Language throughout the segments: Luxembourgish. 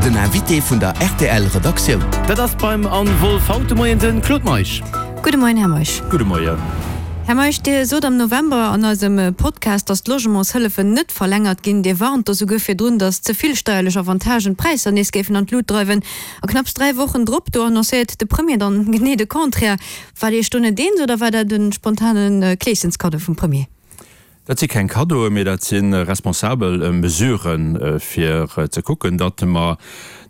Den Invité vun der rtl Redaktioun. Dat ass beim Anne Wolff haut de Moien de Claude Meisch. Gudde Moien, Här Meisch. Gudde Moien. Här Meisch, Dir sot am November an eisem Podcast, datt d'Logementshëllefen net verlängert ginn. Dir warnt do souguer virdrun, datt ze vill steierlech Avantagen d'Präisser nees géifen an d'Lut dreiwen. A knapps 3 Wochen drop, do annoncéiert de Premier dann genee de Contraire. Waart Dir Iech do net eens oder war dat e spontane Kleeschenskaddo vum Premier? Dat si keng Kaddoen, mee dat si responsabel Mesuren, fir ze kucken, datt mer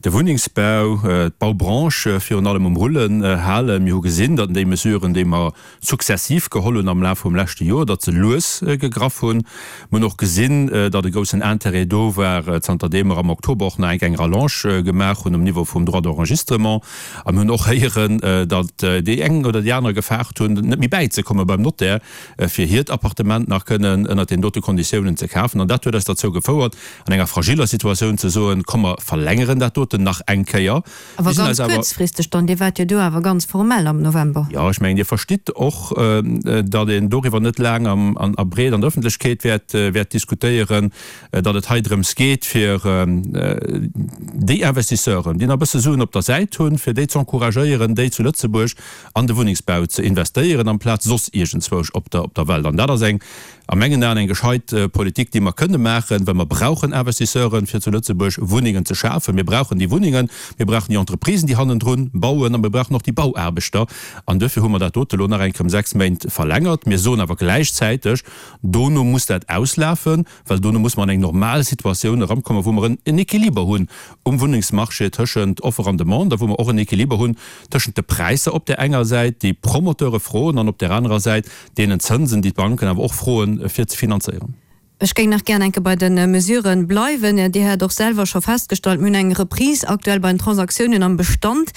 de Wunnengsbau, d'Baubranche virun allem um Rullen halen. Mir hu gesinn, datt déi Mesuren, déi mer successiv geholl hunn am Laf vum leschte Joer, datt se lues gegraff hunn. Mir hunn och gesinn, datt e groussen Intérêt do war, zanter deem mer am Oktober och nach eng eng Rallonge gemaach hunn um Niveau vum Droit d'enregistrement. A mir hunn och héieren, datt déi eng oder déi aner gefaart hunn, net méi bäizekomme beim Notaire, fir hiert Appartement nach kënnen ënnert deenen dote Konditiounen ze kafen. An dat huet eis derzou gefouert, an enger fragiller Situatioun ze soen, Komm mer verlängeren dat doten nach eng Kéier. Awer ganz kuerzfristeg dann. Dir waart jo do awer ganz formell am November. Jo, ech mengen, Dir verstitt och, datt een doriwwer net laang a breet an der Ëffentlechkeet wäert diskutéieren, datt et hei drëms geet, fir déi Investisseuren, déi nach e bësse Suen op der Säit hunn, fir déi z'encouragéieren, déi zu Lëtzebuerg an de Wunnengsbau ze investéieren, amplaz soss iergendzwousch op der op der Welt. An dat ass eng, a mengen Aen, eng gescheit Politik, déi mer kënne maachen, well mer brauchen Investisseuren, fir zu Lëtzebuerg Wunnengen ze schafen. Mir brauchen déi Wunnengen, mir brauchen déi Entreprisen, déi hannendrun bauen, a mir brauchen och déi Bauaarbechter. An duerfir hu mer dat dote elo nach eng Kéier ëm 6 Méint verlängert. Mir soen awer gläichzäiteg, dono muss dat auslafen. Well dono muss mer an eng normal Situatioun erankommen, wou mer en Équiliber hunn um Wunnengsmarché tëschent Offer an Demande a wou mer och en Équiliber hunn tëschent de Präisser op där enger Säit, déi d'Promoteure froen, an op där anerer Säit deenen Zënsen, déi d'Banken awer och froen, fir ze finanzéieren. Ech géing nach gären eng Kéier bei de Mesurë bleiwen. Dir hat och selwer scho festgestallt, mir hunn eng Reprise aktuell bei den Transaktiounen am Bestand.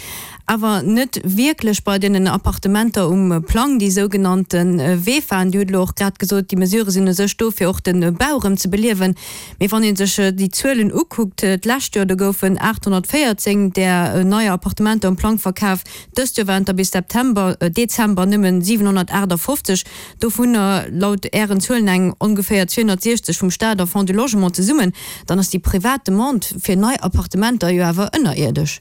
Awer net wierklech bei deenen Appartementer um Plang, déi sougenannte VEFAen. Dir hutt elo och grad gesot, déi Mesurë sinn u sech do, fir och de Bau erëm ze beliewen. Mee wann ee sech déi Zuelen ukuckt, d'lescht Joer, do goufen 814 där neier Appartementer um Plang verkaf, dëst Joer waren et der bis September, Dezember nëmmen 758, dovunner laut Ären Zuelen eng ongeféier 260 vum Staat a Fonds du Logement zesummen. Dann ass déi privat Demande fir nei Appartementer jo awer ënnerierdesch.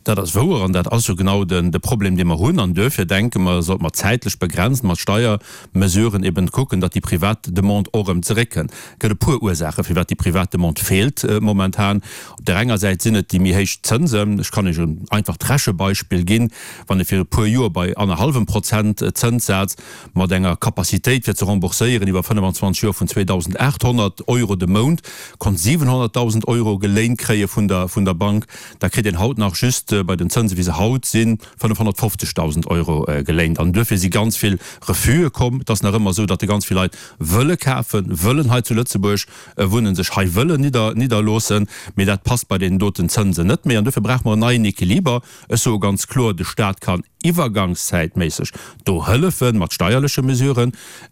Dat ass wouer an dat ass jo genau de Problem, dee mer hunn. An duerfir denke mer, sollte mer zäitlech begrenzt mat Steiermesuren eben kucken, datt déi privat Demande och erëm zeréckkënnt. Et gëtt e puer Ursaachen, firwat déi privat Demande feelt momentan. Op där enger Säit sinn et déi méi héich Zënsen. Ech kann Iech en einfacht Rechebeispill ginn, Wann ee fir e puer Joer bei annerhallwem Prozent Zënssaz mat enger Capacitéit fir ze rembourséieren iwwer 25 Joer vun 2.800 Euro de Mount konnt 700.000 Euro geléint kréie vun der Bank, da kritt een haut nach just bei den Zënse wéi se haut sinn 550.000 Euro geléint. An duerfir si ganz vill Refuse komm. Et ass nach ëmmer esou, datt ganz vill Leit wëlle kafen, wëllen hei zu Lëtzebuerg wunnen, sech hei wëllen nidderloossen, mee dat passt bei deenen doten Zënsen net méi. An duerfir brauche mer en neien Equiliber. Ech soe ganz kloer, de Stat kann iwwergangszäitméisseg do hëllefen mat steierleche Mesuren,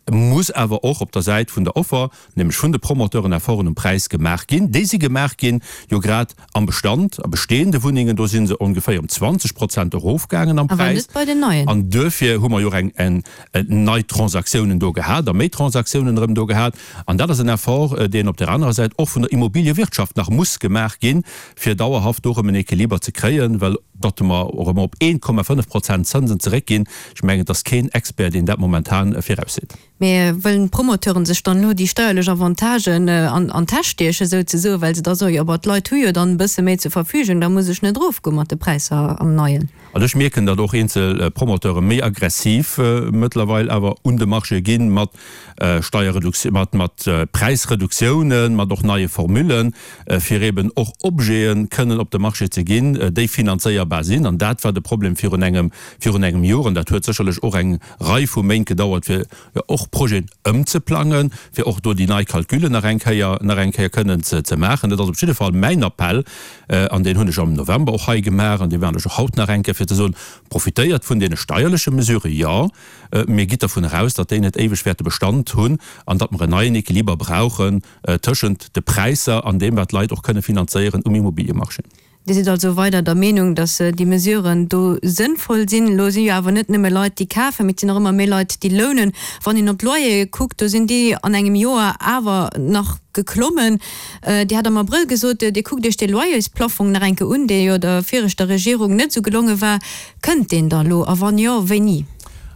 muss awer och op der Säit vun der Offer, nämlech vun de Promoteuren, Efforten um Präis gemaach ginn. Déi si gemaach ginn, jo grad am Bestand, a bestehende Wunnengen, do si se ongeféier ëm 20 Prozent erofgaangen am Awer Präis. net bei den neien. An duerfir hu mer jo och eng eng nei Transaktiounen do gehat a méi Transaktiounen erëm do gehat. An dat ass en Effort, deen op där anerer Säit och vun der Immobiliewirtschaft nach muss gemaach ginn, fir dauerhaft do erëm en Equiliber ze kréien, well datt mer erëm op 1,5 Prozent Zënsen zeréckginn, ech mengen, et ass keen Expert, deen dat momentan virausseet. Mee wëllen d'Promoteuren sech dann elo déi steierlech Avantagen an d'Täsch stiechen, souzesoen, well se da soen, jo bah, d'Leit hu jo dann e bësse méi zur Verfügung, da muss ech net erofgoe mat de Präisser am Neien? Also ech mierken, datt och eenzel Promoteure méi aggressiv mëttlerweil awer un de Marché ginn, mat Steierreduktioun, mat mat Präisreduktiounen, mat och neie Formullen, fir eben och Objete kënnen op de Marché ze ginn, déi finanzéierbar sinn. An dat war de Problem virun engem virun engem Joer. An dat huet sécherlech och eng Rei vu Méint gedauert, fir och Projeten ëmzeplangen, fir och do déi nei Calculen nach eng Kéier, nach eng Kéier kënnen ze maachen. Dat ass op jidde Fall mäin Appell, an deen hunn ech am November och hei gemaach an dee maachen ech och haut nach eng Kéier, fir ze soen, Profitéiert vun deene steierleche Mesuren, jo, mee gitt dervun eraus, datt déi net éiweg wäerte Bestand hunn an datt mer en neien Equiliber brauchen tëschent de Präisser an deem, wat d'Leit och kënne finanzéieren um Immobiliemarché. Dir sidd also weider der Meenung, datt déi Mesuren do sënnvoll sinn. Elo si jo awer net nëmme Leit, déi kafen, mee et sinn och ëmmer méi Leit, déi lounen. Wann een op d'Loyere kuckt, do sinn déi an engem Joer awer nach geklommen. Dir hat am Abrëll gesot, Dir kuckt Iech dee Loyersplaffong nach eng Kéier un, dee jo der viregter Regierung net esou gelonge war. Kënnt deen da elo a wann jo, wéini?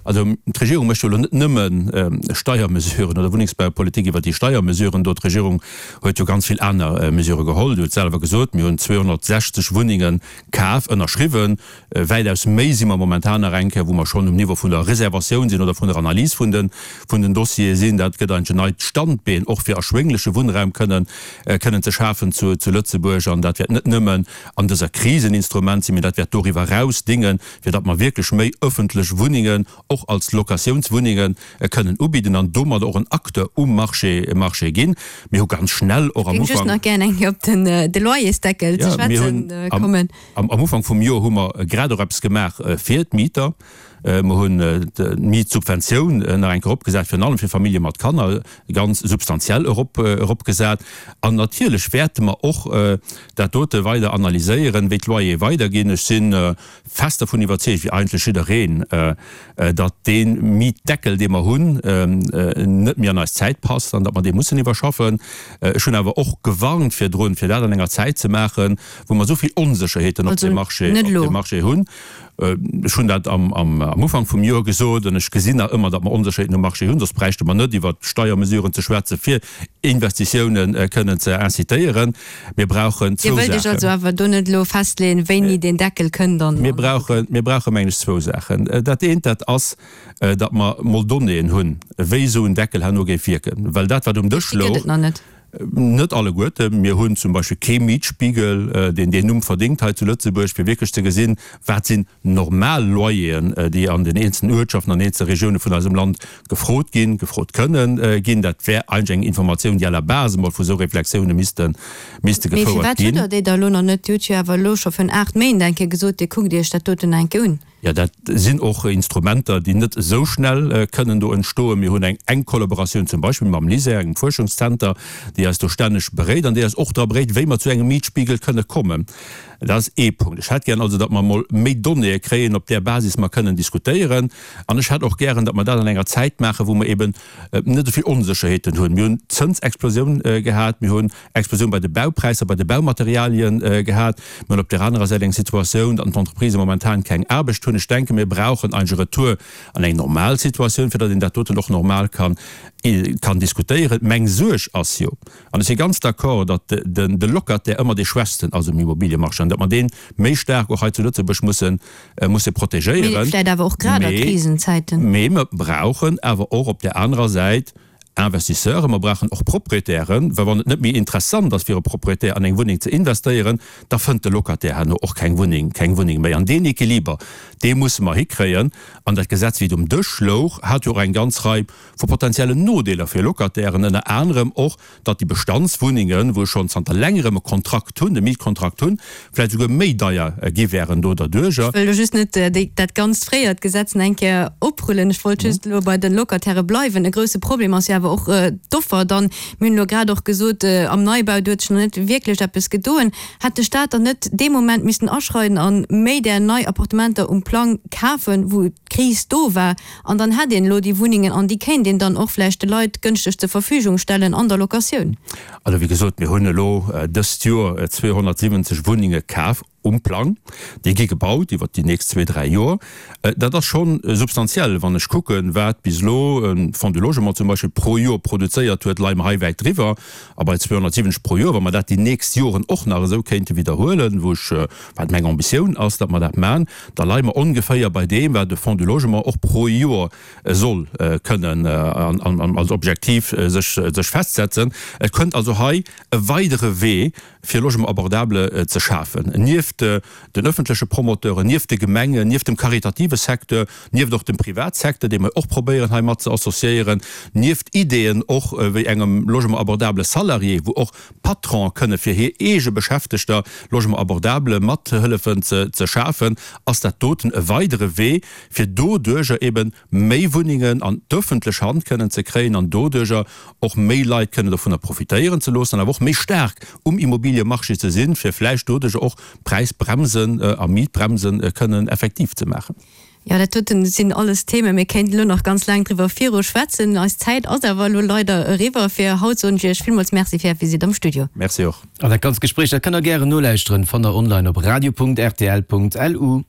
Also d'Regierung mécht jo elo net nëmme Steiermesuren oder Wunnengsbaupolitik iwwer déi Steiermesuren do. D'Regierung huet jo ganz vill aner Mesurë geholl. Dir hutt selwer gesot, mir hunn 260 Wunnenge kaf, ënnerschriwwen. Wäitaus méi si mer momentan nach eng Kéier, wou mer schonn um Niveau vun der Reservatioun sinn oder vun der Analys vun de vun den Dossiere sinn. Dat gëtt eigentlech en neit Standbeen och fir erschwéngleche Wunnraum kënnen kënnen ze schafen zu zu Lëtzebuerg. An dat wäert net nëmmen an dëser Kris en Instrument sinn, mee dat wäert doriwwer eraus dingen, fir datt mer wierklech méi öffentlech Wunnengen och als Locatiounswunnenge kënnen ubidden an domadder och en Acteur um Marché Marché ginn. Mir hu ganz schnell och am Ech géing just Ufank. nach gären eng Kéier op den de Loyersdeckel ze Jo, mir schwätzen hunn am kommen. am am Ufank vum Joer hu mer grad och eppes gemaach fir d'Mieter. Mer hunn d'Mietsubventioun nach eng Kéier eropgesat, virun allem fir Famillje mat Kanner, ganz substantiell erop eropgesat. An natierlech wäerte mer och dat dote weider analyséieren, wéi d'Loyere weiderginn. Ech si fest dervun iwwerzeegt, wéi eigentlech jiddereen, datt dee Mietdeckel, dee mer hunn, net méi an eis Zäit passt an datt mer dee mussen iwwerschaffen. Ech hunn awer och gewarnt virdrun, fir dat an enger Zäit ze maachen, wou mer esou vill Onsécherheeten op Also dem Marché, net op elo. dem Marché hunn. Ech hunn dat am Ufank vum Joer gesot an ech gesinn nach ëmmer, datt mer Onsécherheeten um Marché hunn, soss bräichte mer net iwwert Steiermesuren ze schwätzen, fir Investitiounen kënnen ze incitéieren. Mir brauchen Dir zwou wëllt Iech Saachen. also awer do net elo festleeën, wéini deen Deckel kënnt an. Mir brauchen, mir brauche mengen ech zwou Saachen. Dat eent, dat ass, datt mer mol Donnéeën hunn, wéi esou en Deckel herno géif wierken, well dat, wat um Dësch Déi gëtt louch, et nach net. Net alleguerten. Mir hunn zum Beispill kee Mietspiegel, deen deen Numm verdéngt hei zu Lëtzebuerg, fir wierklech ze gesinn, wat sinn normal Loyeren, déi an den eenzelnen Uertschaften, an eenzele Regioune vun eisem Land gefrot ginn, gefrot kënnen ginn. Dat wär eigentlech eng Informatioun, déi à la base emol vu sou Reflexioune misste misste Mee gefouert firwat hutt ginn. Der déi da elo nach net? Dir hutt jo awer elo scho virun 8 Méint eng Kéier gesot, Dir kuckt Iech dat doten eng Kéier un. Jo, dat sinn och Instrumenter, déi net esou schnell kënnen do entstoen. Mir hunn eng enk Kollaboratioun zum Beispill mam LISER, engem Fuerschungszenter, déi eis do stänneg beréit an déi eis och dra beréit, wéi mer zu engem Mietspiegel kënne kommen. Dat ass ee Punkt. Ech hätt gären also, datt mer emol méi Donnéeë kréien, op där Basis mer kënnen diskutéieren. An ech hätt och gären, datt mer dat an enger Zäit maachen, wou mer eben net esou vill Onsécherheeten hunn. Mir hunn d'Zënsexplosioun gehat, mir hunn Explosioun bei de Baupräisser, bei de Baumaterialien gehat. Mir hunn op där anerer Säit eng Situatioun, datt d'Entreprisen momentan keng Aarbecht hunn. Ech denken, mir brauchen eigentlech e Retour an eng normal Situatioun, fir datt een dat doten och normal kann, kann diskutéieren. Meng Suerg ass jo, an ech si ganz d'accord, datt de Locataire ëmmer dee Schwächsten ass um Immobiliemarché an datt mer dee méi staark och hei zu Lëtzebuerg mussen, musse Mee protegéieren. vläicht awer och grad a Krisenzäiten. Mee mer brauchen awer och op där anerer Säit Investisseuren, mer brauchen och Proprietären, well wann et net méi interessant ass fir e Proprietär an eng Wunneng ze investéieren, da fënnt de Locataire herno och keng Wunneng, keng Wunneng méi. An deen Equiliber, dee musse mer hikréien. An dat Gesetz, wéi et um Dësch louch, hat jo och eng ganz Rei vu potenziellen Nodeeler fir Locatairen, ënner anerem och, datt déi Bestandswunnengen, wou schonn zanter längerem e Kontrakt hunn, e Mietkontrakt hunn, vläicht esouguer méi deier gi wären do derduerjer. Ech wëll elo just net dat ganzt fréiert Gesetz nach eng Kéier oprullen. Ech wollt just elo bei de Locatairë bleiwen. E grouse Problem ass jo awer och d'Offer dann. Mir hunn elo grad och gesot, am Neibau, do huet sech nach net wierklech eppes gedoen. Hätt de Stat dann net dee Moment missten aschreiden a méi där nei Appartementer um Plang kafen, wou d'Kris do war? An dann hätt een elo déi Wunnengen an déi kéint een dann och vläicht de Leit gënschteg zur Verfügung stellen an der Locatioun. Also wéi gesot, mir hunn elo dëst Joer 270 Wunnenge kaf um Plang. Déi gi gebaut iwwert déi nächst zwee, dräi Joer. Dat ass scho substantiell. Wann ech kucken, wat bis elo e Fonds du Logement zum Beispill pro Joer produzéiert huet, leie mer hei wäit driwwer. A bei 270 pro Joer, wa mer dat déi nächst Joren och nach esou kéinte widderhuelen, wou ech, wat meng Ambitioun ass, datt mer dat maachen, da leie mer ongeféier bei deem, wat de Fonds du Logement och pro Joer soll kënnen als Objektiv sech festsetzen. Et kënnt also hei e weidere Wee, fir Logement abordable ze schafen, nieft den öffentleche Promoteuren, nieft de Gemengen, nieft dem karitative Secteur, nieft och dem Privatsecteur, dee mer och probéieren hei mat ze associéieren, nieft Ideeën och wéi engem Logement abordable salarié, wou och Patronen kënne fir hir eege Beschäftegter Logement abordable mat hëllefen ze schafen, ass dat doten e weidere Wee, fir doduerjer eben méi Wunnengen an d'öffentlech Hand kënnen ze kréien an doduerjer och méi Leit kënnen dovunner profitéieren ze loossen an awer och méi staark um Immobiliemarché ze sinn, fir vläicht doduerjer och d'Präisser. Präisbremsen a Mietbremsen kënnen effektiv ze maachen. Jo, dat doten sinn alles Themen, mir kéinten elo nach ganz laang driwwer viru schwätzen. Eis Zäit ass awer elo leider eriwwer fir haut. Soen ech Iech villmools Merci fir Är Visitt am Studio. Merci och. An dat ganzt Gespréich, dat kënnt der gären nolauschteren, fannt der online op radio.rtl.lu.